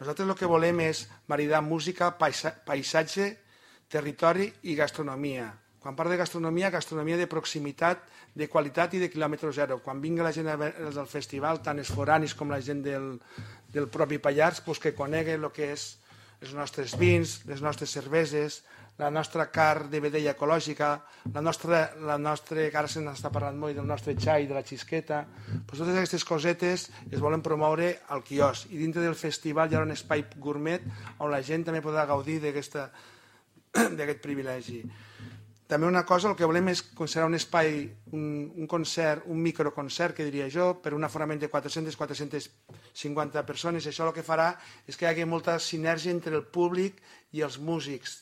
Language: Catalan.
Nosaltres el que volem és maridar música, paisatge, territori i gastronomia. Quan parlo de gastronomia, gastronomia de proximitat, de qualitat i de quilòmetre zero. Quan vingui la gent del festival, tant els foranis com la gent del propi Pallars, que conegui el que és els nostres vins, les nostres cerveses, la nostra carn de vedella ecològica, la nostra, que ara se n'està parlant molt, del nostre xai, de la xisqueta. Totes aquestes cosetes es volen promoure al quiosc. I dintre del festival hi ha un espai gourmet on la gent també podrà gaudir d'aquest privilegi. També una cosa, el que volem és considerar un espai, un concert, un microconcert, que diria jo, per un aforament de 400-450 persones. Això el que farà és que hi hagi molta sinergia entre el públic i els músics,